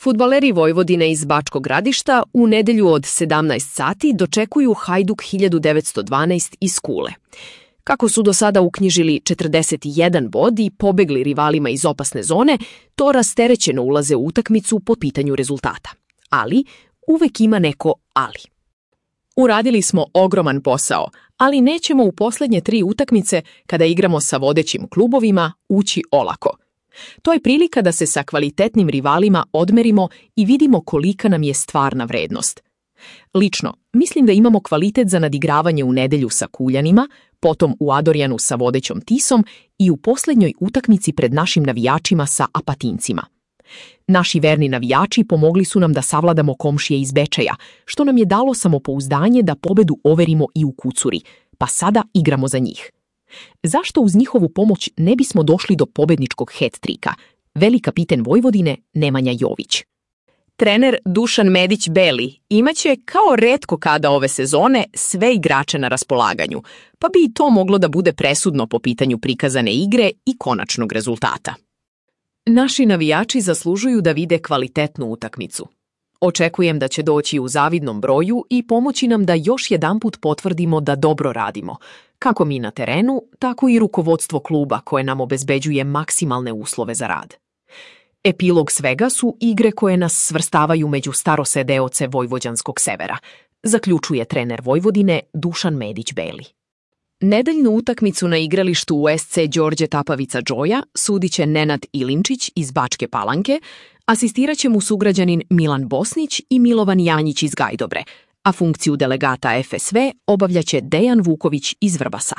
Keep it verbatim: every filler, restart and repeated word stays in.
Fudbaleri Vojvodine iz Bačkog Gradišta u nedelju od sedamnaest sati dočekuju Hajduk hiljadu devetsto dvanaest iz Kule. Kako su do sada uknjižili četrdeset jedan bod i pobegli rivalima iz opasne zone, to rasterećeno ulaze u utakmicu po pitanju rezultata. Ali uvek ima neko ali. Uradili smo ogroman posao, ali nećemo u posljednje tri utakmice, kada igramo sa vodećim klubovima, ući olako. To je prilika da se sa kvalitetnim rivalima odmerimo i vidimo kolika nam je stvarna vrednost. Lično, mislim da imamo kvalitet za nadigravanje u nedelju sa Kuljanima, potom u Adorjanu sa vodećom Tisom i u posljednjoj utakmici pred našim navijačima sa Apatincima. Naši verni navijači pomogli su nam da savladamo komšije iz Bečeja, što nam je dalo samopouzdanje da pobedu overimo i u Kucuri, pa sada igramo za njih. Zašto uz njihovu pomoć ne bismo došli do pobedničkog het-trika? Veli kapiten Vojvodine Nemanja Jović. Trener Dušan Medić-Beli imaće kao retko kada ove sezone sve igrače na raspolaganju, pa bi i to moglo da bude presudno po pitanju prikazane igre i konačnog rezultata. Naši navijači zaslužuju da vide kvalitetnu utakmicu. Očekujem da će doći u zavidnom broju i pomoći nam da još jedanput potvrdimo da dobro radimo, kako mi na terenu, tako i rukovodstvo kluba koje nam obezbeđuje maksimalne uslove za rad. Epilog svega su igre koje nas svrstavaju među starosedeoce vojvođanskog severa, zaključuje trener Vojvodine Dušan Medić-Beli. Nedeljnu utakmicu na igralištu u es ce Đorđe Tapavica Džoja sudit će Nenad Ilinčić iz Bačke Palanke, asistirat će mu sugrađanin Milan Bosnić i Milovan Janjić iz Gajdobre, a funkciju delegata ef es ve obavljaće Dejan Vuković iz Vrbasa.